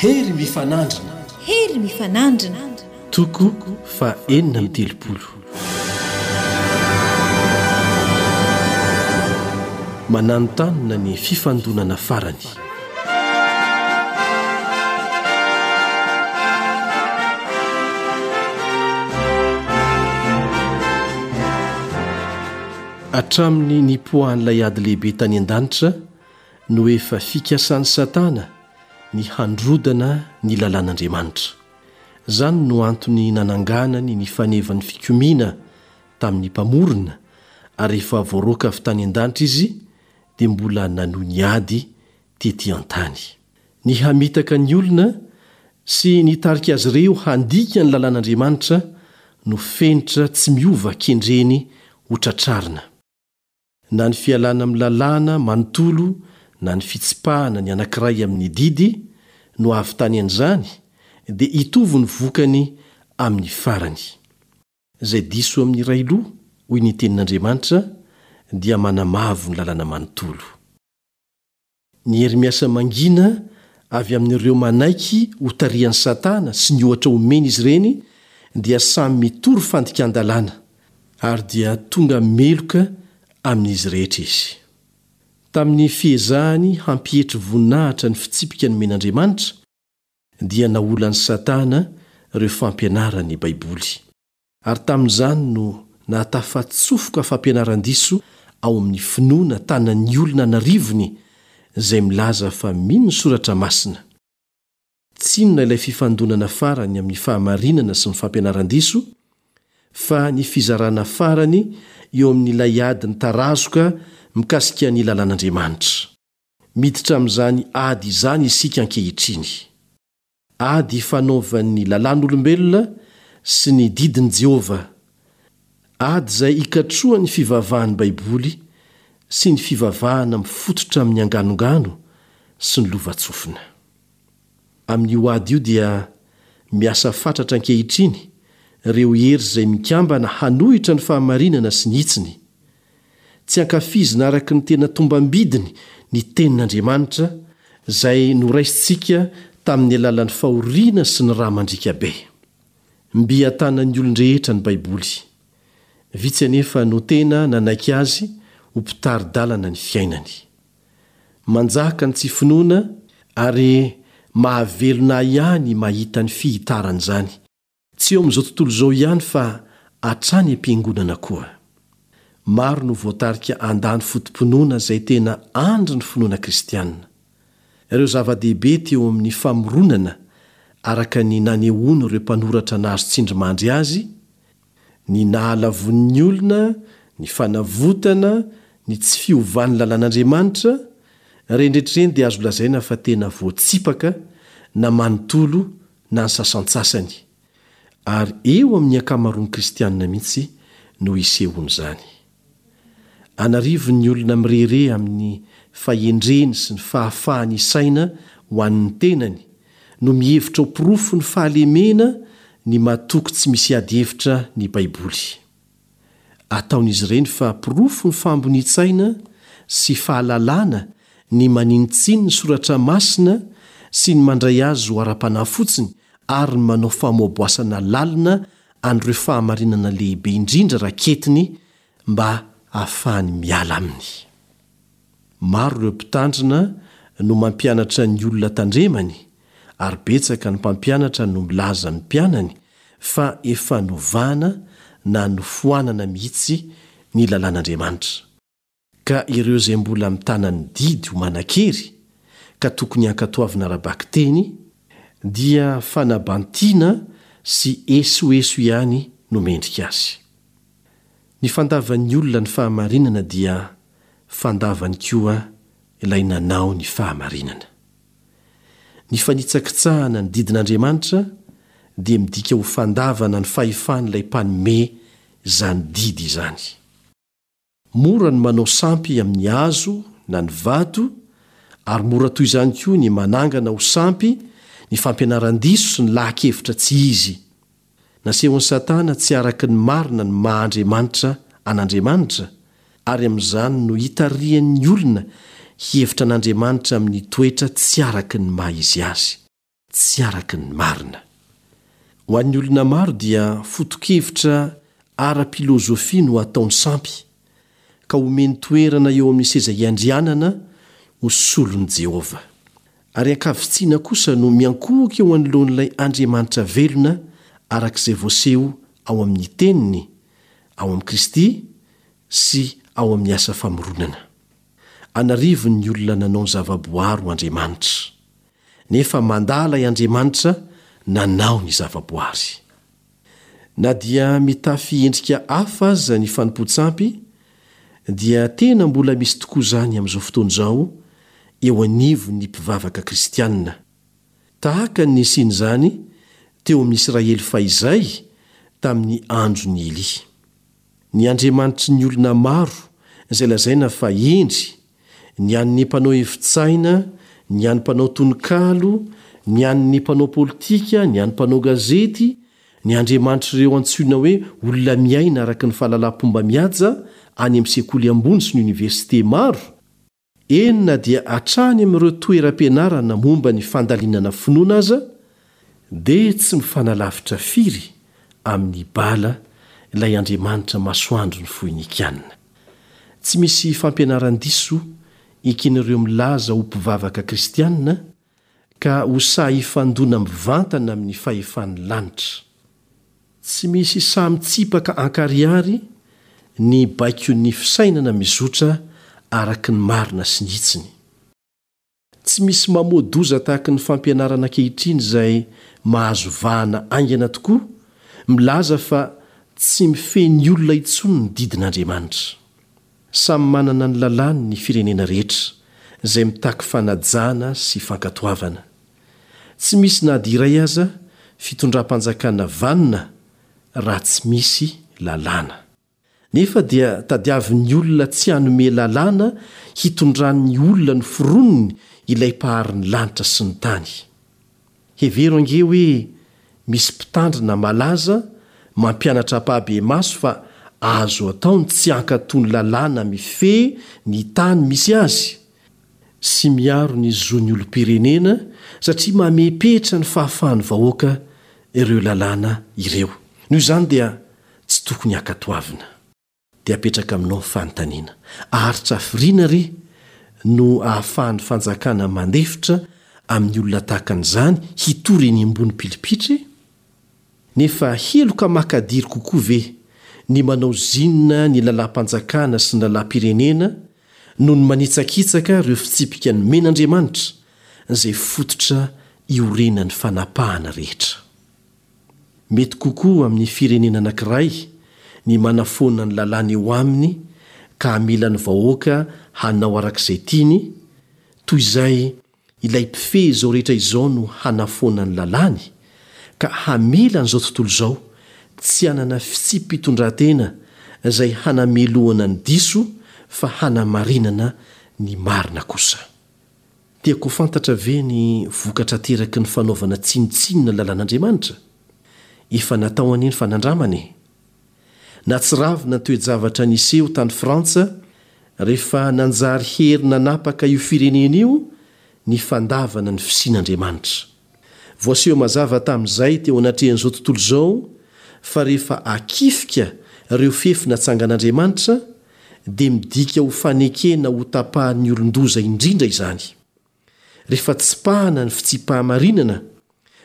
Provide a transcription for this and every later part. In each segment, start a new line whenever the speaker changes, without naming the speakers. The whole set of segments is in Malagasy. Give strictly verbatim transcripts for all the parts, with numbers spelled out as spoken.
Hery mifanandrina.
Hery mifanandrina.
Toko faha enina amby telopolo. Mananontanona ny fifandonana farany. Hatramin'ny nipoahan'ilay ady lehibe tany an-danitra no efa fikasan'i Satana ny handrodana ny lalàn'Andriamanitra. Izany no antony nananganany ny fanevan'ny fikomiana tamin'ny Mpamorona, ary rehefa voaroaka avy tany an-danitra izy dia mbola nanohy ny ady tetỳ an-tany. Ny hamitaka ny olona sy nitarika azy ireo handika ny lalàn'Andriamanitra no fenitra tsy miova kendreny hotratrarina. Na ny fialana amin'ny lalàna manontolo na ny fitsipahana ny anankiray amin'ny didy no ahavitany an'izany, dia hitovy ny vokany amin'ny farany. Izay diso amin'ny iray loha, hoy ny Tenin'Andriamanitra, dia manamavo ny lalàna manontolo. Ny hery miasa mangina avy amin'ireo manaiky hotarihan'i Satana sy ny ohatra omeny izy ireny dia samy mitory fandikan-dalàna, ary dia tonga meloka amin'izy rehetra izy. Tamin'ny fiezahany hampietry voninahitra ny fitsipika nomen'Andriamanitra, dia naolan'i Satana ireo fampianaran'ny Baiboly. Ary tamin'izany no nahatafatsofoka fampianaran-diso ao amin'ny finoana tanan'ny olona an'arivony izay milaza fa mino ny Soratra Masina. Tsy inona ilay fifandonana farany amin'ny fahamarinana sy ny fampianaran-diso, fa ny fizarana farany eo amin'ilay ady nitarazoka mikasika ny lalàn'Andriamanitra. Miditra amin'izany ady izany isika ankehitriny. Ady ifanaovan'ny lalàn'olombelona sy ny didin'i Jehovah. Ady izay ikatrohan'ny fivavahan'ny Baiboly sy ny fivavahana mifototra amin'ny anganongano sy ny lovantsofina. Amin'io ady io dia miasa fatratra ankehitriny ireo hery izay mikambana hanohitra ny fahamarinana sy ny hitsiny. Tsy ankafizina araka ny tena tombam-bidiny ny Tenin'Andriamanitra, izay noraisintsika tamin'ny alalan'ny fahoriana sy ny rà mandriaka be. Mby an-tanan'ny olon-drehetra ny Baiboly. Vitsy anefa no tena nanaiky azy ho mpitari-dalana ny fiainany. Manjaka ny tsy finoana ary mahavelona ahy ihany mahita ny fihitaran'izany. Tsy eo amin'izao tontolo izao ihany fa hatrany am-piangonana koa. Maro no voatarika handà ny foto-pinoana izay tena andrin'ny finoana kristiana. Ireo zava-dehibe teo amin'ny famoronana araka ny nanehoan'ireo mpanoratra nahazo tsindrimandry azy, ny nahalavoan'ny olona, ny fanavotana, ny tsy fiovan'ny lalàn'Andriamanitra, ireny rehetra ireny dia azo lazaina fa tena voatsipaka na manontolo na ny sasantsasany, ary eo amin'ny ankamaroan'ny kristianina mihitsy no isehoan'izany. An'arivony ny olona mirehareha amin'ny fahendreny sy ny fahafahany hisaina ho an'ny tenany no mihevitra ho porofon'ny fahalemena ny matoky tsy misy ady hevitra ny Baiboly. Ataon'izy ireny fa porofon'ny fahambonian-tsaina sy fahalalana ny maninontsiny ny soratra masina sy ny mandray azy ho ara-panahy fotsiny ary ny manao famoaboasana lalina an'ireo fahamarinana lehibe indrindra raketiny mba hahafahany miala aminy. Maro ireo mpitandrina no mampianatra ny olona tandremany ary betsaka ny mpampianatra no milaza amin'ny mpianany fa efa novana na nofoanana mihitsy ny lalàn'Andriamanitra, ka ireo izay mbola mitana ny didy ho manan-kery ka tokony hankatoavina ara-bakiteny dia fanabantiana sy esoeso ihany no mendrika azy. Ny fandavan'ny olona ny fahamarinana dia fandavany koa ilay nanao ny fahamarinana. Ny fanitsakitsahana ny didin'Andriamanitra dia midika ho fandavana ny fahefan'ilay Mpanome izany didy izany. Mora ny manao sampy amin'ny hazo na ny vato, ary mora toy izany koa ny manangana ho sampy ny fampianaran-diso sy ny laha-kevitra tsy izy. Nasehon'i Satana tsy araka ny marina ny maha Andriamanitra an'Andriamanitra, ary amin'izany no itarihany ny olona hihevitra an'Andriamanitra amin'ny toetra tsy araka ny maha izy azy. tsy araka ny marina. Ho an'ny olona maro dia foto-kevitra ara-pilozofia no ataony sampy, ka omeny toerana eo amin'ny seza iandrianana ho solon'i Jehovah. Ary ankavitsiana kosa no miankohoka eo anoloan'ilay Andriamanitra velona araka izay voaseho ao amin'ny Teniny, ao amin'i Kristy sy ao amin'ny asa famoronana. An'arivony ny olona nanao ny zavaboary ho andriamanitra. Nefa mandà ilay Andriamanitra nanao ny zavaboary. Na dia mitafy endrika hafa aza ny fanompoan-tsampy, dia tena mbola misy tokoa izany amin'izao fotoana izao eo anivon'ny mpivavaka kristianina, tahaka ny nisian'izany teo amin'ny Israely fahizay tamin'ny andron'i Elia. Ny andriamanitry ny olona maro izay lazaina fa hendry, ny an'ny mpanao hevi-tsaina, ny an'ny mpanao tononkalo, ny an'ny mpanao politika, ny an'ny mpanao gazety, ny andriamanitr'ireo antsoina hoe olona miaina araka ny fahalalam-pomba mihaja any amin'ny sekoly ambony sy ny oniversite maro, Eny na dia hatrany amin'ireo toeram-pianarana momba ny fandalinana finoana aza dia tsy mifanalavitra firy amin'i Bala ilay andriamanitra masoandron'ny Foinikiana. Tsy misy fampianaran-diso eken'ireo milaza ho mpivavaka kristiana ka ho sahy hifandona mivantana amin'ny fahefan'ny lanitra. Tsy misy sahy mitsipaka ankarihary ny baikon'ny fisainana mizotra araka ny marina sy ny hitsiny. Tsy misy mamoa-doza tahaka ny fampianarana ankehitriny izay mahazo vahana haingana tokoa milaza fa tsy mifehy ny olona intsony ny didin'Andriamanitra. Samy manana ny lalàny ny firenena rehetra, izay mitaky fanajana sy fankatoavana. Tsy misy na dia iray aza fitondram-panjakana vanona raha tsy misy lalàna. Nefa dia tadiavin'ny olona tsy hanome lalàna hitondran'ny olona noforoniny ilay Mpahary ny lanitra sy ny tany. Hevero ange hoe misy mpitandrina malaza mampianatra ampahibemaso fa azo atao ny tsy hankatò ny lalàna mifehy ny tany misy azy sy miaro ny zon'ny olom-pirenena satria mamepetra ny fahafahan'ny vahoaka ireo lalàna ireo. Noho izany dia tsy tokony hankatoavina. Dia apetraka aminao ny fanontaniana, aharitra hafiriana re no ahafahan'ny fanjakana mandefitra amin'ny olona tahaka an'izany hitory eny ambony pilipitra e? Nefa heloka makadiry kokoa ve ny manao zinona ny lalàm-panjakana sy ny lalàm-pirenena noho ny manitsakitsaka ireo fitsipika nomen'Andriamanitra izay fototra iorenan'ny fanapahana rehetra? Mety kokoa amin'ny firenena anankiray ny manafoana ny lalàna eo aminy ka hamela ny vahoaka hanao araka izay tiany toy izay Ilay Mpifehy izao rehetra izao no hanafoana ny lalàny, ka hamela an'izao tontolo izao tsy hanana fitsipi-pitondran-tena izay hanamelohana ny diso fa hanamarinana ny marina kosa. Tiako ho fantatra ve ny vokatra ateraky ny fanaovana tsinontsinona ny lalàn'Andriamanitra? Efa natao anie ny fanandramana e! Nahatsiravina ny toe-javatra niseho tany Frantsa rehefa nanjary hery nanapaka io firenena io ny fandavana ny fisian'Andriamanitra. Voaseho mazava tamin'izay teo anatrehan'izao tontolo izao fa rehefa akifika ireo fefy natsangan'Andriamanitra dia midika ho fanekena hotapahan'ny olon-doza indrindra izany. Rehefa tsipahana ny fitsiam-pahamarinana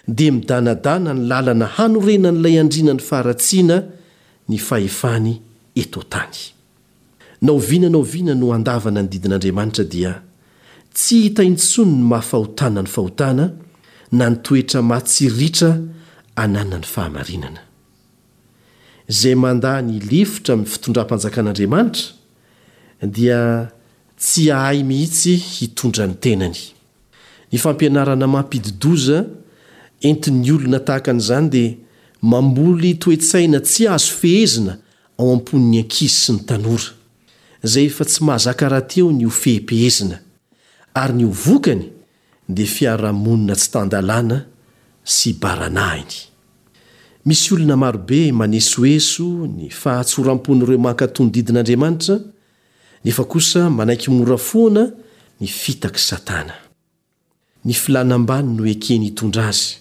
dia midanadana ny lalana hanorenan'ilay andriana ny faharatsiana ny fahefany eto an-tany. Na oviana na oviana no handavana ny didin'Andriamanitra dia tsy hita intsony ny maha fahotana ny fahotana na ny toetra mahatsiriritra ananan'ny fahamarinana. Izay mandà ny hilefitra amin'ny fitondram-panjakan'Andriamanitra dia tsy hahay mihitsy hitondra ny tenany. Ny fampianarana mampidi-doza entin'ny olona tahaka an'izany dia mamboly toe-tsaina tsy azo fehezina ao am-pon'ny ankizy sy ny tanora, izay efa tsy mahazaka rahateo ny ho fehipehezina, ary ny ho vokany dia fiarahamonina tsy tan-dalàna sy baranahiny. Misy olona marobe manesoeso ny fahatsoram-pon'ireo mankatò ny didin'Andriamanitra, nefa kosa manaiky mora foana ny fitak'i Satana. Ny filàna ambany no ekeny hitondra azy,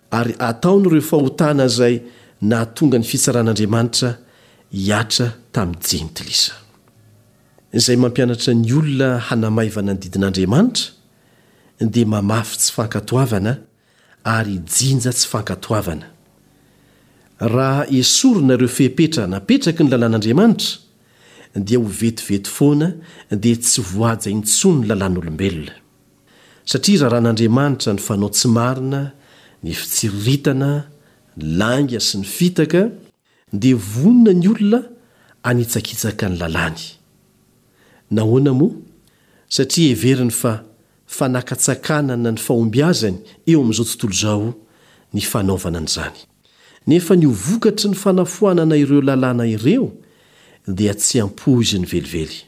ary ataony ireo fahotana izay nahatonga ny fitsaran'Andriamanitra hihatra tamin'ny jentilisa. Izay mampianatra ny olona hanamaivana ny didin'Andriamanitra dia mamafy tsy fankatoavana ary hijinja tsy fankatoavana. Raha esorina ireo fepetra napetraky ny lalàn'Andriamanitra, dia ho vetivety foana dia tsy voahaja intsony ny lalàn'olombelona. Satria raràn'Andriamanitra ny fanao tsy marina, ny fitsiriritana, ny lainga sy ny fitaka, dia vonona ny olona hanitsakitsaka ny lalàny. Nahoana moa? Satria heveriny fa fanakatsakanana ny fahombiazany eo amin'izao tontolo izao ny fanaovana an'izany. Nefa ny ho vokatry ny fanafoanana ireo lalàna ireo dia tsy ampoiziny velively.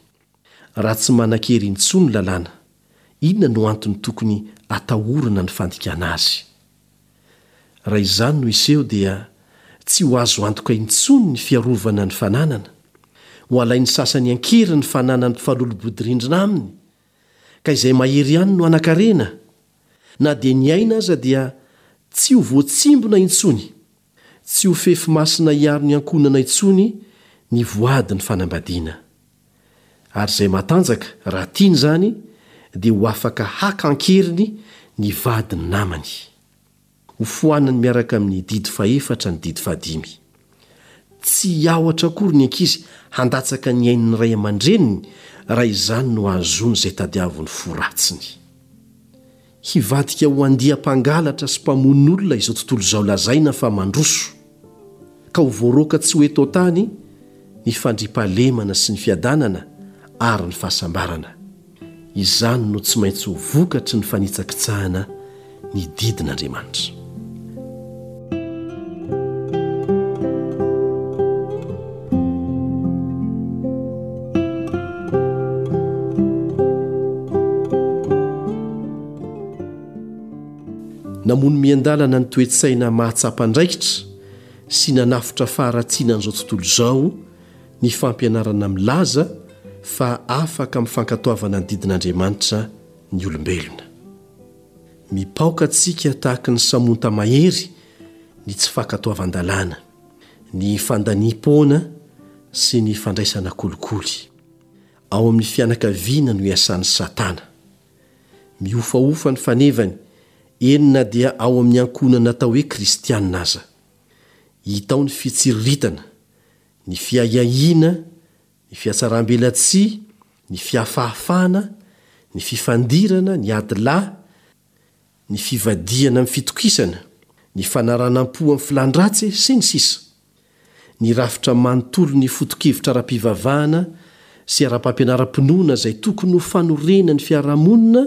Raha tsy manan-kery intsony ny lalàna, inona no antony tokony atahorana ny fandikana azy? Raha izany no hiseho dia tsy ho azo antoka intsony ny fiarovana ny fananana, ho alain'ny sasany an-kery ny fananan'ny mpifanolo-bodirindrina aminy, ka izay mahery ihany no hanan-karena. Na dia ny aina aza dia tsy ho voatsimbina intsony, tsy ho fefy masina hiaro ny ankohonana intsony ny voady ny fanambadiana. Ary izay matanjaka, raha tiany izany, dia ho afaka haka an-keriny ny vadin'ny namany. Ho foanany miaraka amin'ny didy fahefatra ny didy fahadimy. Tsy hiahotra akory ny ankizy handatsaka ny ain'ny ray aman-dreniny raha izany no hahazoany izay tadiavin'ny fo ratsiny. Hivadika ho andiam-pangalatra sy mpamono olona izao tontolo izao lazaina fa mandroso, ka ho voaroaka tsy ho eto an-tany ny fandriampahalemana sy ny fiadanana ary ny fahasambarana. Izany no tsy maintsy ho vokatry ny fanitsakitsahana ny didin'Andriamanitra. Namono miandalana ny toe-tsaina mahatsapa andraikitra sy nanafotra faharatsiana an'izao tontolo izao ny fampianarana milaza fa afaka amin'ny fankatoavana ny didin'Andriamanitra ny olombelona. Mipaoka antsika tahaky ny samonta mahery ny tsy fankatoavan-dalàna, ny fandaniam-poana sy ny fandraisana kolikoly. Ao amin'ny fianakaviana no iasan'i Satana. Mihofahofa ny fanevany, eny na dia ao amin'ny ankohonana atao hoe kristiana aza. Hita ao ny fitsiriritana, ny fiahiahiana, ny fihatsarambelatsihy, ny fihafahafahana, ny fifandirana, ny ady lahy, ny fivadihana amin'ny fitokisana, ny fanaranam-po amin'ny filan-dratsy, sy ny sisa Ny rafitra manontolo ny foto-kevitra ara-pivavahana sy ara-pampianaram-pinoana izay tokony ho fanorenan'ny fiarahamonina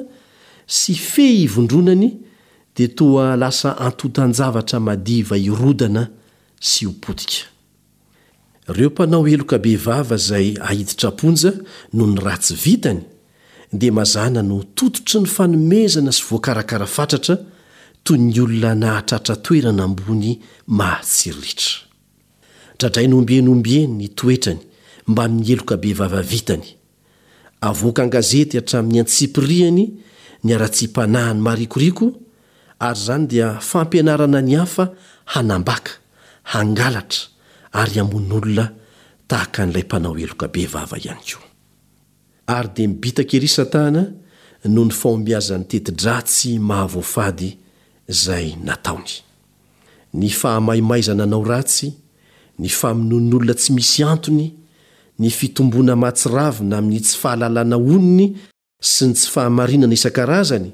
sy fehy ivondronany dia toa lasa antontan-javatra madiva hirodana sy ho potika. Ireo mpanao heloka bevava izay aiditra am-ponja noho ny ratsy vitany dia mazàna no tototry ny fanomezana sy voakarakara fatratra toy ny olona nahatratra toerana ambony mahatsiriritra. Dradraina ombieny ombieny ny toetrany mbamin'ny heloka bevava vitany. Avoaka an-gazety hatramin'ny antsipiriany ny haratsiam-panahiny marikoriko ary izany dia fampianarana ny hafa hanambaka, hangalatra ary hamono olona tahaka an'ilay mpanao heloka bevava ihany koa. Ary dia mibitaka ery Satana noho ny fahombiazan'ny teti-dratsy mahavoafady izay nataony. Ny fahamaimaizana hanao ratsy, ny famonoan'olona tsy misy antony, ny fitomboana mahatsiravina amin'ny tsy fahalalana onony sy ny tsy fahamarinana isan-karazany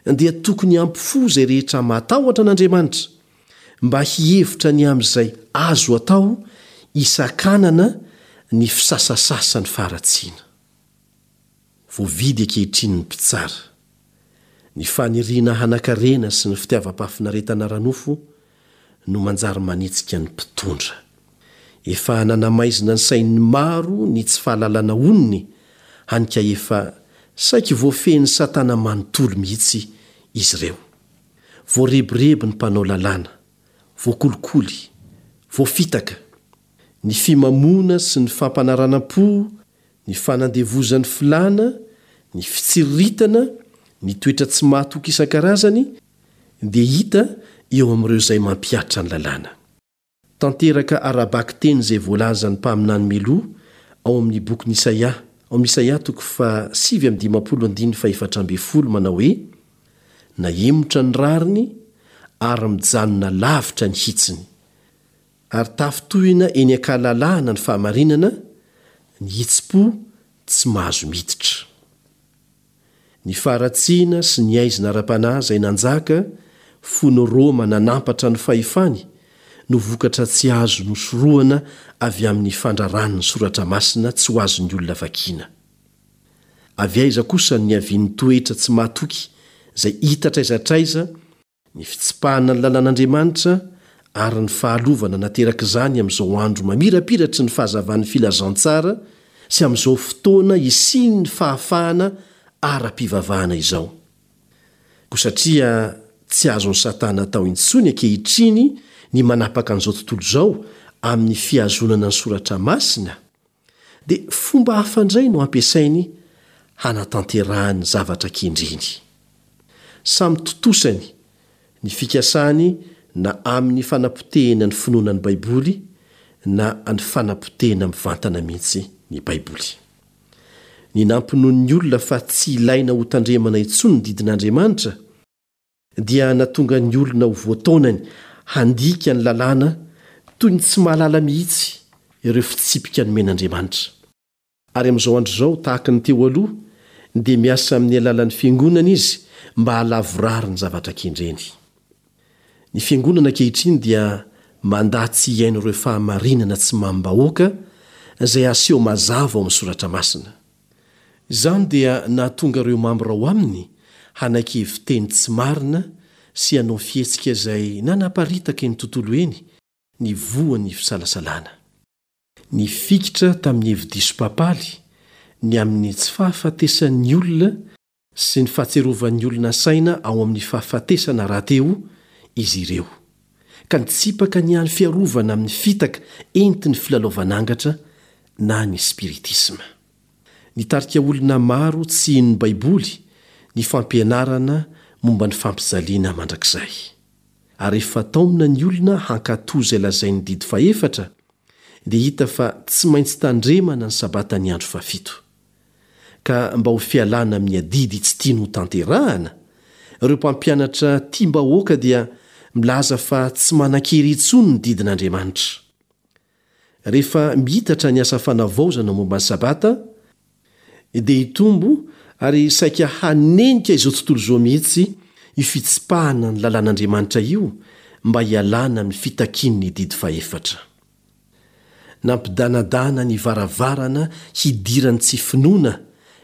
dia tokony hampifoha izay rehetra matahotra an'Andriamanitra mba hihevitra ny amin'izay azo atao hisakanana ny fisasasasan'ny faharatsiana. Voavidy ankehitriny ny mpitsara. Ny faniriana hanan-karena sy ny fitiavam-pahafinaretana ara-nofo no manjary manetsika ny mpitondra. Efa nanamaizina ny sain'ny maro ny tsy fahalalana onony, hany ka efa saiky voafehin'i Satana manontolo mihitsy izy ireo. Voarebireby ny mpanao lalàna, voakolikoly, voafitaka. Ny fimamoana sy ny fampanaranam-po, ny fanandevozan'ny filàna, ny fitsiriritana, Ny toetra tsy mahatoky isan-karazany dia hita eo amin'ireo izay mampihatra ny lalàna. Tanteraka ara-bakiteny izay voalazan'ny mpaminany mialoha ao amin'ny bokin'i Isaia, ao amin'ny Isaia toko fahasivy amby dimampolo andininy fahefatra ambin'ny folo manao hoe, Nahemotra ny rariny ary mijanona lavitra ny hitsiny. Ary tafintohina eny an-kalalahana ny fahamarinana, ny hitsim-po tsy mahazo miditra. Ny faharatsiana sy ny haizina ara-panahy izay nanjaka fony Roma nanampatra ny fahefany no vokatra tsy azo nosorohana avy amin'ny fandrarany ny Soratra Masina tsy ho azon'ny olona vakiana. Avy aiza kosa no niavian'ny toetra tsy mahatoky izay hita hatraiza hatraiza Ny fitsipahana ny lalàn'Andriamanitra ary ny fahalovana naterak'izany amin'izao andro mamirapiratry ny fahazavan'ny filazantsara sy amin'izao fotoana hisian'ny fahafahana ara-pivavahana izao. Koa satria tsy azon'i Satana atao intsony ankehitriny ny manapaka an'izao tontolo izao amin'ny fihazonana ny Soratra Masina, dia fomba hafa indray no ampiasainy hanatanterahany ny zavatra kendreny. Samy tontosany ny fikasany na amin'ny fanapotehina ny finoana ny Baiboly na ny fanapotehina mivantana mihitsy ny Baiboly. Ny nampinoan'ny olona fa tsy ilaina hotandremana intsony ny didin'Andriamanitra dia nahatonga ny olona ho voataonany handika ny lalàna toy ny tsy mahalala mihitsy ireo fitsipika nomen'Andriamanitra. Ary amin'izao andro izao, tahaka ny teo aloha, dia miasa amin'ny alalan'ny Fiangonana izy mba hahalavorary ny zavatra kendreny. Ny Fiangonana ankehitriny dia mandà tsy hihaino ireo fahamarinana tsy mamim-bahoaka izay aseho mazava ao amin'ny Soratra Masina. Izany dia nahatonga ireo mambra ao aminy hanaiky hevi-teny tsy marina sy hanao fihetsika izay nanaparitaka eny tontolo eny ny voan'ny fisalasalana. Nifikitra tamin'ny hevi-diso papaly ny amin'ny tsy fahafatesan'ny olona sy ny fahatsiarovan'ny olona saina ao amin'ny fahafatesana rahateo izy ireo, ka nitsipaka ny hany fiarovana amin'ny fitaka entin'ny filalaovan'angatra na ny spiritisma. Nitarika olona maro tsy hino ny Baiboly ny fampianarana momba ny fampijaliana mandrakizay. Ary rehefa taomina ny olona hankatò izay lazain'ny didy fahefatra, dia hita fa tsy maintsy tandremana ny Sabatan'ny andro fahafito. Ka mba ho fialana amin'ny adidy tsy tiany hotanterahana, ireo mpampianatra tiam-bahoaka dia milaza fa tsy manan-kery intsony ny didin'Andriamanitra. Rehefa miitatra ny asa fanavaozana momba ny Sabata, dia hitombo ary saika hanenika izao tontolo izao mihitsy io fitsipahana ny lalàn'Andriamanitra io mba hialana amin'ny fitakian'ny didy fahefatra. Nampidanadana ny varavarana hidiran'ny tsy finoana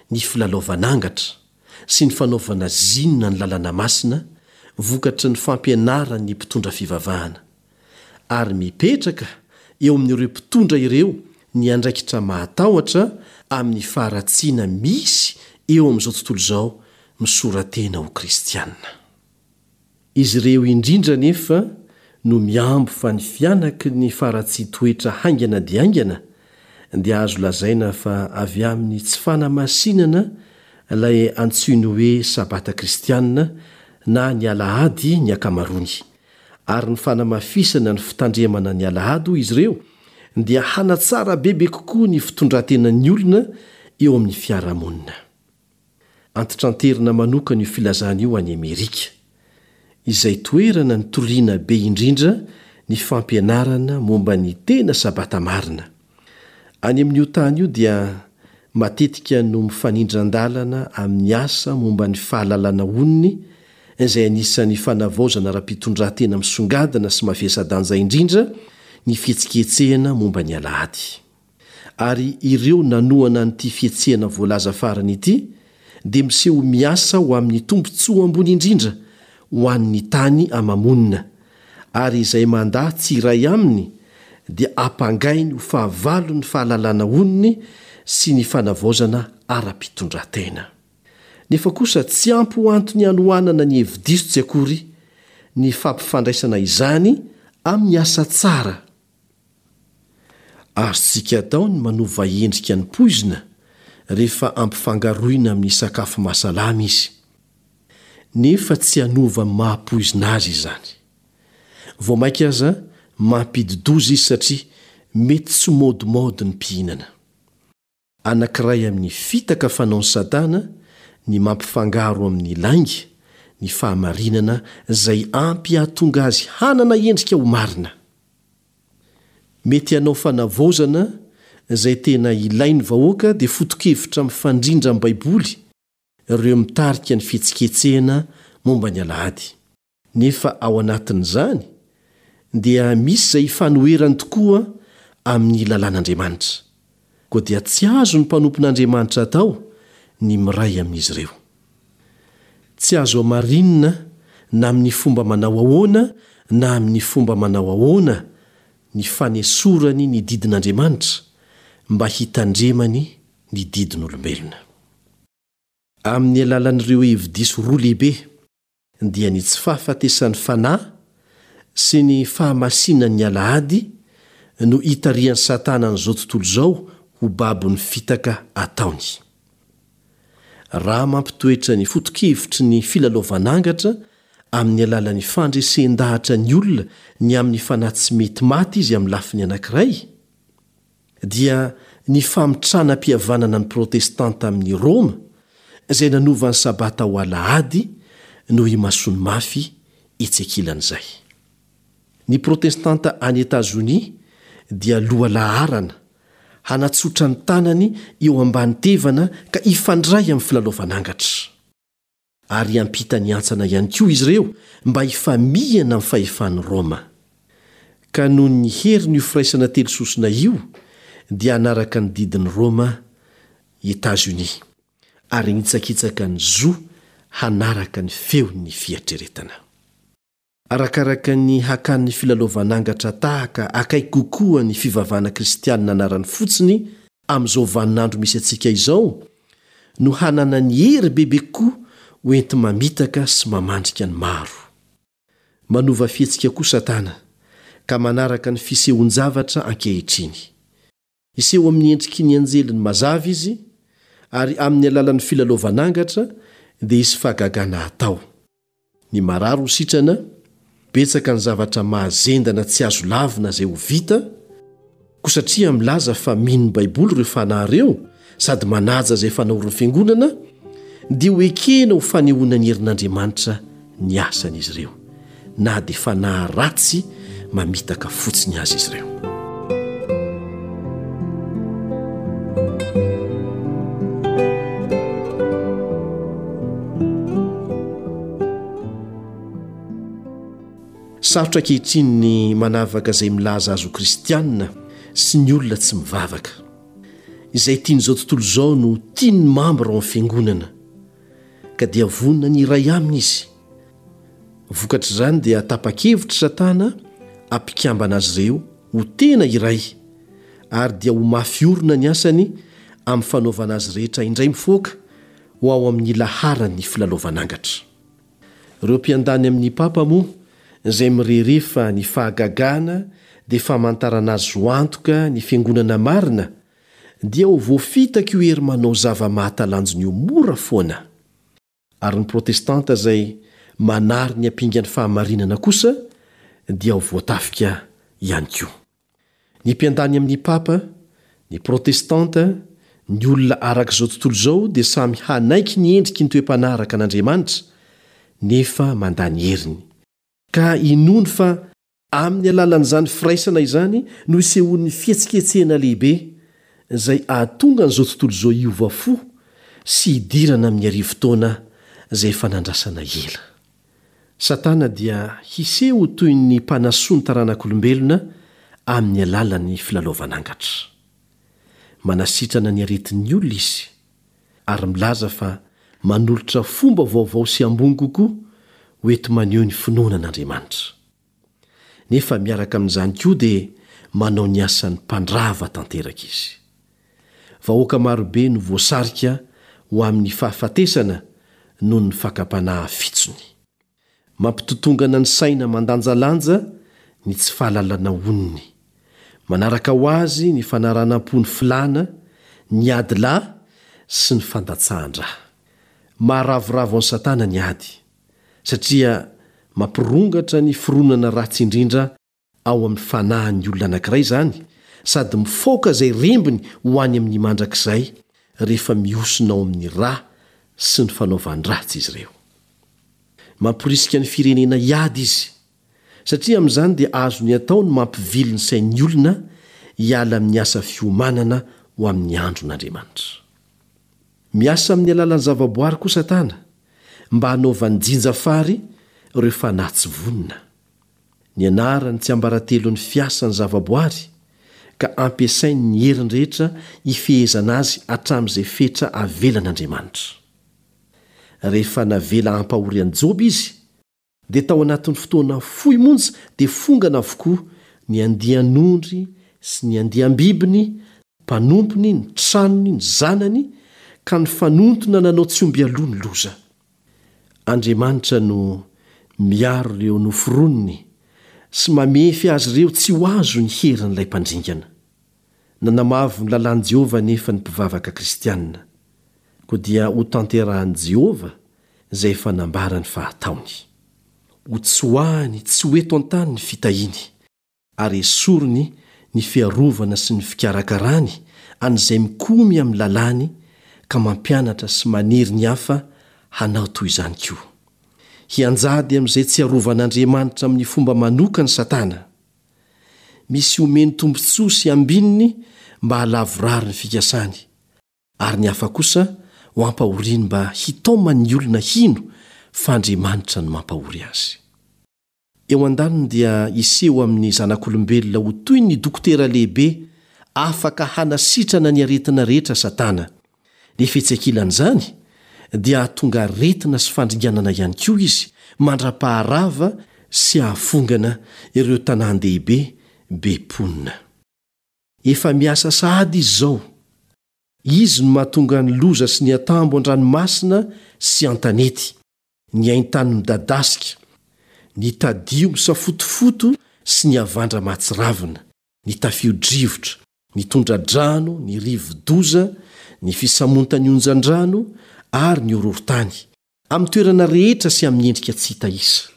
ny filalaovan'angatra sy ny fanaovana zinona ny lalàna masina vokatry ny fampianaran'ny mpitondra fivavahana. Ary mipetraka eo amin'ireo mpitondra ireo ny andraikitra mahatahotra amin'ny faharatsiana misy eo amin'izao tontolo izao misora-tena ho kristiana. Izy ireo indrindra anefa no mihambo fa ny fihanaky ny faharatsian-toetra haingana dia haingana dia azo lazaina fa avy amin'ny tsy fanamasinana ilay antsoiny hoe Sabata kristiana na ny Alahady ny ankamaroany. Ary ny fanamafisana ny fitandremana ny Alahady, hoy izy ireo, dia hanatsara bebe kokoa ny fitondran-tenan'ny olona eo amin'ny fiarahamonina. Antitranterina manokana io filazana io any Amerika, izay toerana nitoriana be indrindra ny fampianarana momba ny tena Sabata marina. Any amin'io tany io dia matetika no mifanindran-dalana amin'ny asa momba ny fahalalana onony izay anisan'ny fanavaozana ara-pitondran-tena misongadina sy mavesa-danja indrindra ny fihetsiketsehana momba ny Alahady. Ary ireo nanohana an'ity fihetsehana voalaza farany ity dia miseho ho miasa ho amin'ny tombontsoa ambony indrindra ho an'ny tany ama-monina, ary izay mandà tsy hiray aminy dia ampangainy ho fahavalon'ny fahalalana onony sy ny fanavaozana ara-pitondran-tena. Nefa kosa tsy ampy ho antony hanohanana ny hevi-diso tsy akory ny fampifandraisana izany amin'ny asa tsara. Azontsika atao ny manova endrika ny poizina rehefa ampifangaroina amin'ny sakafo mahasalama izy. Nefa tsy hanova ny maha-poizina azy izany. Vao mainka aza mampidi-doza izy satria mety tsy maodimaody ny mpihinana. Anankiray amin'ny fitaka fanaon'i Satana ny mampifangaro amin'ny lainga ny fahamarinana izay ampy hahatonga azy hanana endrika ho marina. Mety hanao fanavaozana izay tena ilain'ny vahoaka dia foto-kevitra mifandrindra amin'ny Baiboly ireo mitarika ny fihetsiketsehana momba ny Alahady. Nefa ao anatin'izany dia misy izay ifanoherany tokoa amin'ny lalàn'Andriamanitra. Koa dia tsy azon'ny mpanompon'Andriamanitra atao ny miray amin'izy ireo. Tsy azo hamarinina na amin'ny fomba manao ahoana na amin'ny fomba manao ahoana ny fanesorany ny didin'Andriamanitra mba hitandremany ny didin'olombelona. Amin'ny alalan'ireo hevi-diso roa lehibe, dia ny tsy fahafatesan'ny fanahy sy ny fahamasinan'ny Alahady no itarihan'i Satana an'izao tontolo izao ho babon'ny fitaka ataony. Raha mampitoetra ny foto-kevitry ny filalaovan'angatra amin'ny alalan'ny fandresen-dahatra ny olona ny amin'ny fanahy tsy mety maty izy amin'ny lafiny anankiray, dia ny famitranam-pihavanana ny Protestanta amin'i Roma izay nanova ny Sabata ho Alahady no imasoany mafy etsy ankilan'izay. Ny Protestanta any Etazonia dia lohalaharana hanatsotra ny tanany eo ambany tevana ka hifandray amin'ny filalaovan'angatra. Ary hiampita ny hantsana ihany koa izy ireo mba hifamihana amin'ny fahefan'i Roma. Ka noho ny herin'io firaisana telo sosona io dia hanaraka ny didin'i Roma i Etazonia ary hanitsakitsaka ny zo hanaraka ny feon'ny fieritreretana. Arakaraka ny hakan'ny filalaovan'angatra tahaka akaiky kokoa ny fivavahana kristianina anarany fotsiny amin'izao vaninandro misy antsika izao no hananany hery bebe kokoa ho enti-mamitaka sy mamandrika ny maro. Manova fihetsika koa Satana ka manaraka ny fisehoan-javatra ankehitriny. Hiseho amin'ny endriky ny anjeliny mazava izy ary amin'ny alalan'ny filalaovan'angatra dia hisy fahagagana hatao. Ny marary ho sitrana, betsaka ny zavatra mahazendana tsy azo lavina izay ho vita, koa satria milaza fa mino ny Baiboly ireo fanahy ireo sady manaja izay fanaorin'ny fiangonana, dia ho ekena ho fanehoana ny herin'Andriamanitra ny asan'izy ireo, na dia fanahy ratsy mamitaka fotsiny aza izy ireo. Sarotra ankehitriny ny manavaka izay milaza azy ho kristianina sy ny olona tsy mivavaka. Izay tian'izao tontolo izao no tian'ny mambra ao amin'ny fiangonana, ka dia vonona ny hiray aminy izy. Vokatr'izany dia tapa-kevitra Satana hampikambana azy ireo ho tena iray, ary dia ho mafy orina ny asany amin'ny fanaovana azy rehetra indray mifoaka ho ao amin'ny laharan'ny filalaovan'angatra. Ireo mpiandany amin'ny Papa moa izay mirehareha fa ny fahagagana dia famantarana azo antoka ny fiangonana marina dia ho voafitaka io hery manao zava-mahatalanjona io mora foana. Ary ny Protestanta izay manary ny ampingan'ny fahamarinana kosa dia ho voatafika ihany koa. Ny mpiandany amin'ny Papa, ny Protestanta, ny olona araka izao tontolo izao dia samy hanaiky ny endriky ny toe-panahy araka an'Andriamanitra, nefa mandà ny heriny. Ka inoany fa amin'ny alalan'izany firaisana izany no isehoan'ny fihetsiketsehana lehibe izay hahatonga an'izao tontolo izao hiova fo sy hidirana amin'ny arivo taona izay efa nandrasana ela. Satana dia hiseho ho toy ny mpanasoa ny taranak'olombelona amin'ny alalan'ny filalaovan'angatra. Manasitrana ny aretin'ny olona izy, ary milaza fa manolotra fomba vaovao sy ambony kokoa ho enti-maneho ny finoana an'Andriamanitra. Nefa miaraka amin'izany koa dia manao ny asan'ny mpandrava tanteraka izy. Vahoaka marobe no voasarika ho amin'ny fahafatesana noho ny fakam-panahy fitsony. Mampitotongana ny saina mandanjalanja ny tsy fahalalana onony. Manaraka ho azy ny fanaranam-po ny filàna, ny ady lahy sy ny fandatsahan-drà. Maharavoravo an'i Satana ny ady. satria mampirongatra ny fironana ratsy indrindra ao amin'ny fanahin'ny olona anankiray izany, sady mifaoka izay rembiny ho any amin'ny mandrakizay rehefa mihosina ao amin'ny ra sy ny fanaovan-dratsy izy ireo. Mamporisika ny firenena hiady izy, satria amin'izany dia azony atao ny mampivily ny sain'ny olona hiala amin'ny asa fiomanana ho amin'ny andron'Andriamanitra. Miasa amin'ny alalan'ny zavaboary koa Satana mba hanaovany jinja fary ireo fanahy tsy vonona. Nianarany tsiambaratelon'ny fiasan'ny zavaboary, ka ampiasainy ny heriny rehetra hifehezana azy hatramin'izay fetra avelan'Andriamanitra. Rehefa navela hampahory an'i Joba izy, dia tao anatin'ny fotoana fohy monja dia fongana avokoa ny andian'ondry sy ny andiam-bibiny, ny mpanompony, ny tranony, ny zanany, ka nifanontona nanao tsy omby aloha ny loza. Andriamanitra no miaro ireo noforoniny sy mamefy azy ireo tsy ho azo ny herin'ilay mpandringana. Nanamavo ny lalàn'i Jehovah anefa ny mpivavaka kristianina. Koa dia hotanterahin'i Jehovah izay efa nambarany fa hataony. Hotsoahiny tsy ho eto an-tany ny fitahiany. ary esoriny ny fiarovana sy ny fikarakarany an'izay mikomy amin'ny lalàny ka mampianatra sy manery ny hafa hanao toy izany koa. Hianjady amin'izay tsy arovan'Andriamanitra amin'ny fomba manokana Satana. Misy omeny tombontsoa sy ambininy mba hahalavorary ny fikasany, ary ny hafa kosa ho ampahoriany mba hitaomany ny olona hino fa Andriamanitra no mampahory azy. Eo an-daniny dia hiseho amin'ny zanak'olombelona ho toy ny dokotera lehibe afaka hanasitrana ny aretina rehetra Satana. Nefa etsy ankilan'izany, dia hahatonga aretina sy fandringanana ihany koa izy mandra-paharava sy hahafongana ireo tanàn-dehibe be mponina. Efa miasa sahady izy izao. Izy no mahatonga ny loza sy ny atambo an-dranomasina sy an-tanety. ny haintany midadasika, ny tadio misafotofoto sy ny havandra mahatsiravina, ny tafio-drivotra, ny tondra-drano, ny rivo-doza, ny fisamontan'ny onjan-drano ary ny horohorontany, amin'ny toerana rehetra sy amin'ny endrika tsy hita isa.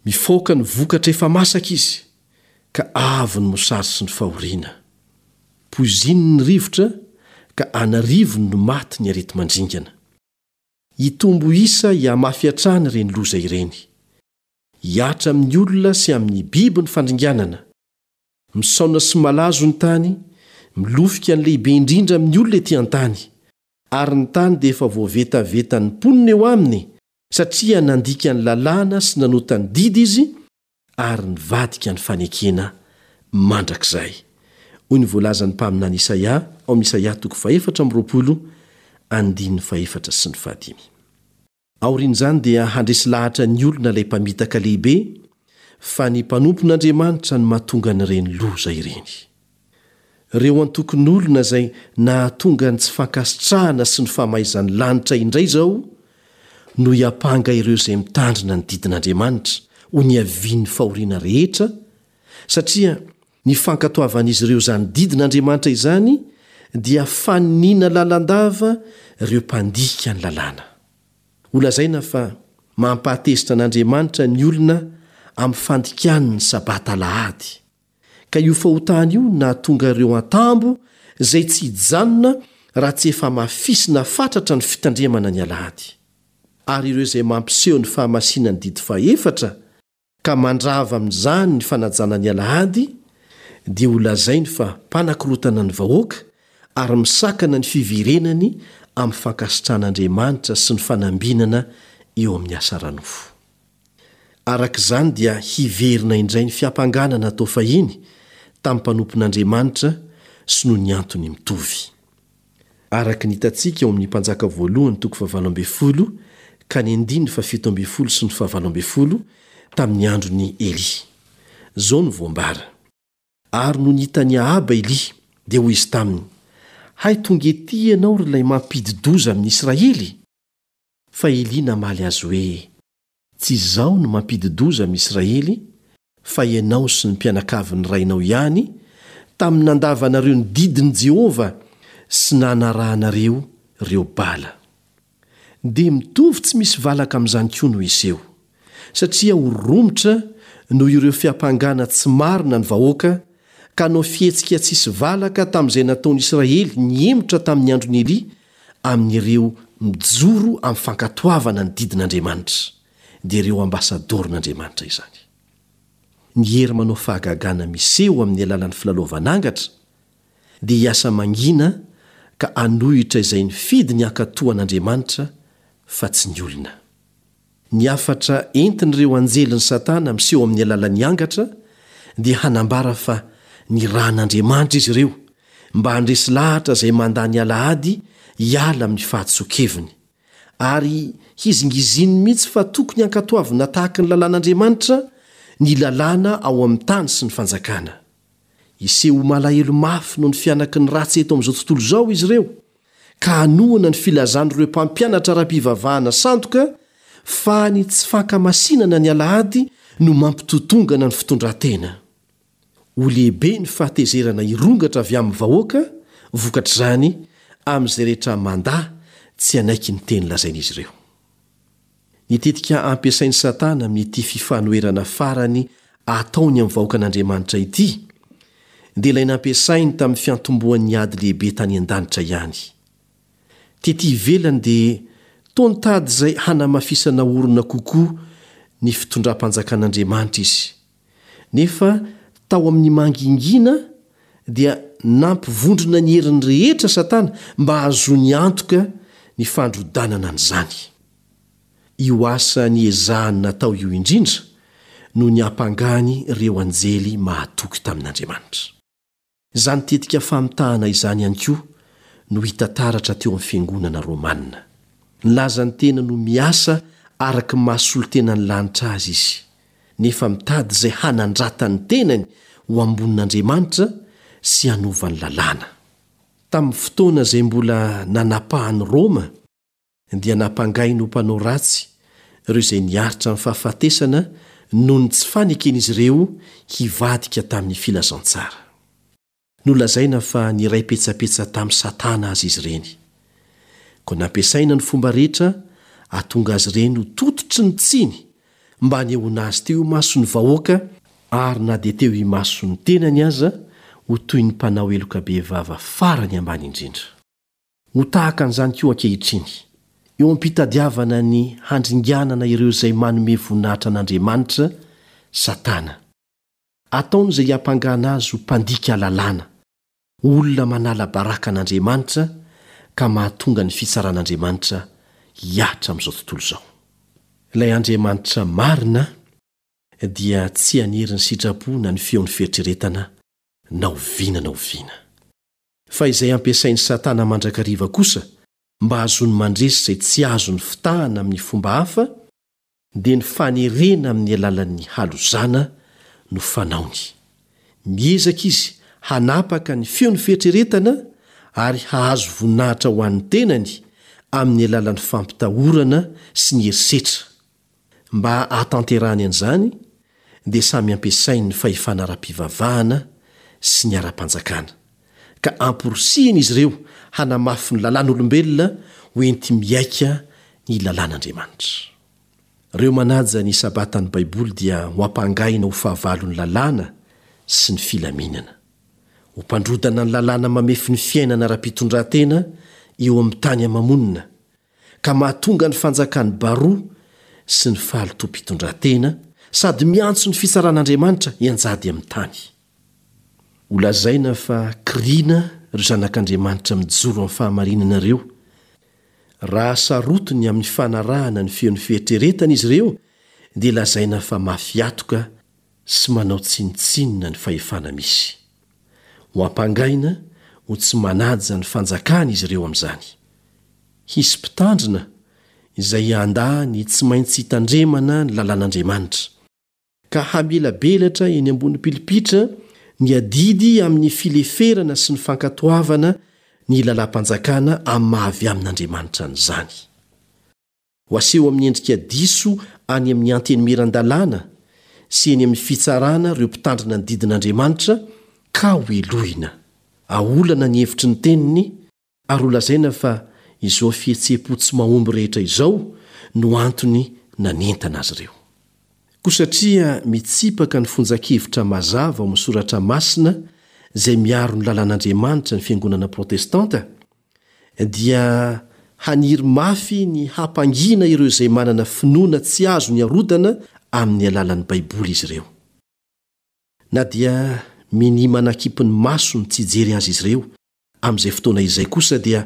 Mifaoka ny vokatra efa masaka izy, ka avo ny mosary sy ny fahoriana. Poizininy ny rivotra, ka an'arivony no maty ny areti-mandringana. Hitombo isa hihamafy hatrany ireny loza ireny. Hihatra amin'ny olona sy amin'ny biby ny fandringanana. Misaona sy malazo ny tany, milofika ny lehibe indrindra amin'ny olona ety an-tany. Ary ny tany dia efa voavetavetan'ny mponina eo aminy, satria nandika ny lalàna sy nanota ny didy izy, ary nivadika ny fanekena mandrakizay. Hoy ny voalazan'ny mpaminany Isaia ao amin'ny Isaia toko fahefatra amby roapolo, andininy fahefatra sy ny fahadimy. Aorian'izany dia handresy lahatra ny olona ilay mpamitaka lehibe fa ny mpanompon'Andriamanitra no mahatonga an'ireny loza ireny. Ireo antokon'olona izay nahatonga ny tsy fankasitrahana sy ny famaizan'ny lanitra indray izao no hiampanga ireo izay mitandrina ny didin'Andriamanitra ho niavian'ny fahoriana rehetra, satria ny fankatoavan'izy ireo izany didin'Andriamanitra izany dia faniniana lalandava ireo mpandika ny lalàna. Holazaina fa mampahatezitra an'Andriamanitra ny olona amin'ny fandikany ny Sabata alahady. Ka io fahotana io no nahatonga ireo antambo izay tsy hijanona raha tsy efa hamafisina fatratra ny fitandremana ny alahady. Ary ireo izay mampiseho ny fahamasinan'ny didy fahefatra ka mandrava amin'izany ny fanajana ny alahady dia holazainy fa mpanakorotana ny vahoaka ary misakana ny fiverenany amin'ny fankasitran'Andriamanitra sy ny fanambinana eo amin'ny asa ara-nofo. Araka izany dia hiverina indray ny fiampangana natao fahiny tamin'ny mpanompon'Andriamanitra sy noho ny antony mitovy. Araka ny hitantsika ao amin'ny Mpanjaka Voalohany toko fahavalo ambin'ny folo ka ny andininy fahafito ambin'ny folo sy ny fahavalo ambin'ny folo tamin'ny andron'i Elia. Izao no voambara, Ary nony hitan'i Ahaba Elia, dia hoy izy taminy, Hay tonga etỳ ianao ry ilay mampidi-doza amin'i Israely? Fa Elia namaly azy hoe, Tsy izaho no mampidi-doza amin'i Israely, fa ianao sy ny mpianakavin'ny rainao ihany, tamin'ny nandavanareo ny didin'i Jehovah sy nanarahanareo ireo Bala. dia mitovy tsy misy valaka amin'izany koa no hiseho, satria ho romotra noho ireo fiampangana tsy marina ny vahoaka ka hanao fihetsika tsisy valaka tamin'izay nataon'Israely nihemotra tamin'ny andron'i Elia amin'ireo mijoro amin'ny fankatoavana ny didin'Andriamanitra, dia ireo ambasadaoron'Andriamanitra izany. Ny hery manao fahagagana miseho amin'ny alalan'ny filalaovan'angatra dia hiasa mangina ka hanohitra izay nifidy ny hankatò an'Andriamanitra fa tsy ny olona. Ny hafatra entin'ireo anjelin'i Satana miseho amin'ny alalan'ny angatra dia hanambara fa nirahan'Andriamanitra izy ireo mba handresy lahatra izay mandà ny alahady hiala amin'ny fahadisoan-keviny, ary hizingiziny mihitsy fa tokony hankatoavina tahaka ny lalàn'Andriamanitra ny lalàna ao amin'ny tany sy ny fanjakana. Hiseho ho malahelo mafy noho ny fihanaky ny ratsy eto amin'izao tontolo izao izy ireo, ka hanohana ny filazan'ireo mpampianatra ara-pivavahana sandoka fa ny tsy fankamasinana ny alahady no mampitotongana ny fitondran-tena. Ho lehibe ny fahatezerana hirongatra avy amin'ny vahoaka vokatr'izany amin'izay rehetra mandà tsy hanaiky ny teny lazain'izy ireo. Ny tetika ampiasain'i Satana amin'ity fifanoherana farany ataony amin'ny vahoakan'Andriamanitra ity dia ilay nampiasainy tamin'ny fiantombohan'ny ady lehibe tany an-danitra ihany. Tety ivelany dia toa nitady izay hanamafisana orina kokoa ny fitondram-panjakan'Andriamanitra izy. Nefa tao amin'ny mangingina dia nampivondrona ny heriny rehetra Satana mba hahazoany antoka ny fandrodanana an'izany. Io asa niezahany natao io indrindra no niampangany ireo anjely mahatoky tamin'Andriamanitra. Izany tetika famitahana izany ihany koa no hita taratra teo amin'ny fiangonana romana. Nilaza ny tenany ho miasa araka ny maha solontenan'ny lanitra azy izy, nefa mitady izay hanandratany ny tenany ho ambonin'Andriamanitra sy hanova ny lalàna. Tamin'ny fotoana izay mbola nanapahan'i Roma, dia nampangainy ho mpanao ratsy ireo izay niaritra ny fahafatesana noho ny tsy faneken'izy ireo hivadika tamin'ny filazantsara. Nolazaina fa niray petsapetsa tamin'i Satana aza izy ireny. Koa nampiasaina ny fomba rehetra hahatonga azy ireny ho tototry ny tsiny mba hanehoana azy teo imason'ny vahoaka ary na dia teo imason'ny tenany aza ho toy ny mpanao heloka bevava farany ambany indrindra. Ho tahaka an'izany koa ankehitriny, eo am-pitadiavana ny handringanana ireo izay manome voninahitra an'Andriamanitra, Satana. Ataony izay hiampangana azy ho mpandika lalàna, ho olona manala baraka an'Andriamanitra ka mahatonga ny fitsaran'Andriamanitra hihatra amin'izao tontolo izao. Ilay Andriamanitra marina dia tsy hanery ny sitrapo na ny feon'ny fieritreretana na oviana na oviana. Fa izay ampiasain'i Satana mandrakariva kosa mba hahazoany mandresy izay tsy azony fitahana amin'ny fomba hafa dia ny fanerena amin'ny alalan'ny halozana no fanaony. Miezaka izy hanapaka ny feon'ny fieritreretana ary hahazo voninahitra ho an'ny tenany amin'ny alalan'ny fampitahorana sy ny herisetra. Mba hahatanterahany an'izany dia samy ampiasainy ny fahefana ara-pivavahana sy ny ara-panjakana, ka amporisihiny izy ireo hanamafy ny lalàn'olombelona ho enti-mihaika ny lalàn'Andriamanitra. Ireo manaja ny Sabatan'ny Baiboly dia ho ampangaina ho fahavalon'ny lalàna sy ny filaminana. Ho mpandrodana ny lalàna mamefy ny fiainana ara-pitondran-tena eo amin'ny tany ama-monina, ka mahatonga ny fanjakan'i Baroa sy ny fahalotoam-pitondran-tena sady miantso ny fitsaran'Andriamanitra hianjady amin'ny tany. Holazaina fa kiriana ry zanak'Andriamanitra mijoro amin'ny fahamarinana ireo. Raha sarotiny amin'ny fanarahana ny feon'ny fieritreretana izy ireo dia lazaina fa mafy hatoka sy manao tsinontsinona ny fahefana misy. Ho ampangaina ho tsy manaja ny fanjakana izy ireo amin'izany. Hisy mpitandrina izay handà ny tsy maintsy hitandremana ny lalàn'Andriamanitra, ka hamelabelatra eny ambony pilipitra ny adidy amin'ny fileferana sy ny fankatoavana ny lalàm-panjakana amin'ny maha-avy amin'Andriamanitra an'izany. Ho aseho amin'ny endrika diso any amin'ny antenimieran-dalàna sy eny amin'ny fitsarana ireo mpitandrina ny didin'Andriamanitra ka hohelohina. Aolana ny hevitry ny teniny ary holazaina fa Izao fihetseham-po tsy mahomby rehetra izao no antony nanentana azy ireo. Koa satria mitsipaka ny fonjan-kevitra mazava ao amin'ny Soratra Masina izay miaro ny lalàn'Andriamanitra ny Fiangonana Protestanta, dia haniry mafy ny hampangina ireo izay manana finoana tsy azony arodana amin'ny alalan'ny Baiboly izy ireo. Na dia minia manakimpy ny masony tsy hijery azy izy ireo amin'izay fotoana izay kosa dia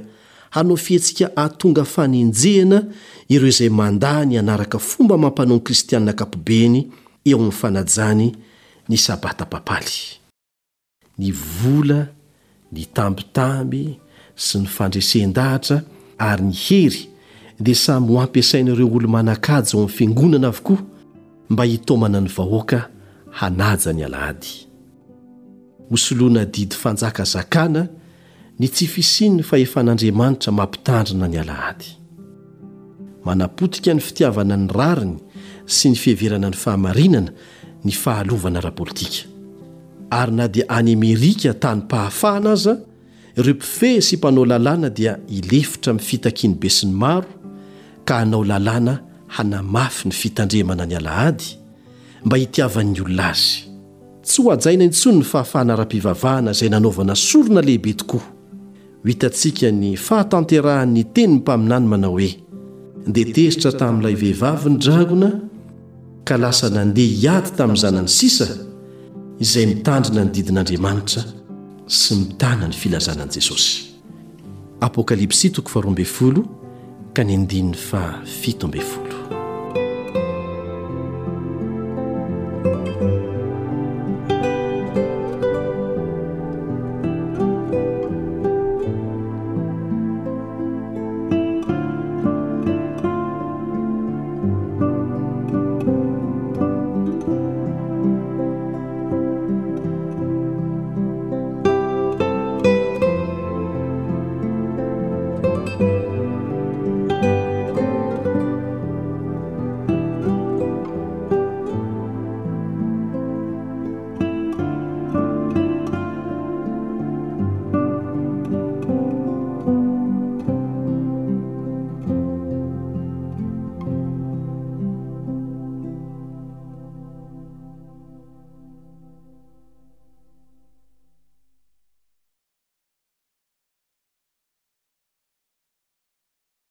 hanao fihetsika hahatonga fanenjehana ireo izay mandà ny hanaraka fomba amam-panao ny Kristianina ankapobeny eo amin'ny fanajany ny Sabata papaly. Ny vola, ny tambitamby sy ny fandresen-dahatra ary ny hery dia samy ho ampiasain'ireo olo-manan-kaja ao amin'ny fiangonana avokoa mba hitaomana ny vahoaka hanaja ny Alahady. Hosoloana didy fanjakazakana ny tsy fisian'ny fahefan'Andriamanitra mampitandrina ny Alahady. Manapotika ny fitiavana ny rariny sy ny fiheverana ny fahamarinana ny fahalovana ara-politika. Ary na dia any Amerika tanim-pahafahana aza, ireo mpifehy sy mpanao lalàna dia hilefitra amin'ny fitakian'ny besinimaro ka hanao lalàna hanamafy ny fitandremana ny Alahady mba hitiavan'ny olona azy. Tsy ho hajaina intsony ny fahafahana ara-pivavahana izay nanaovana sorona lehibe tokoa. Ho hitantsika ny fahatanterahan'ny tenin'ny mpaminany manao hoe, Dia tezitra tamin'ilay vehivavy ny dragona ka lasa nandeha hiady tamin'ny zanany sisa izay mitandrina ny didin'Andriamanitra sy mitana ny filazana an'i Jesosy. Apokalypsy toko faharoa ambin'ny folo ka ny andininy fahafito ambin'ny folo.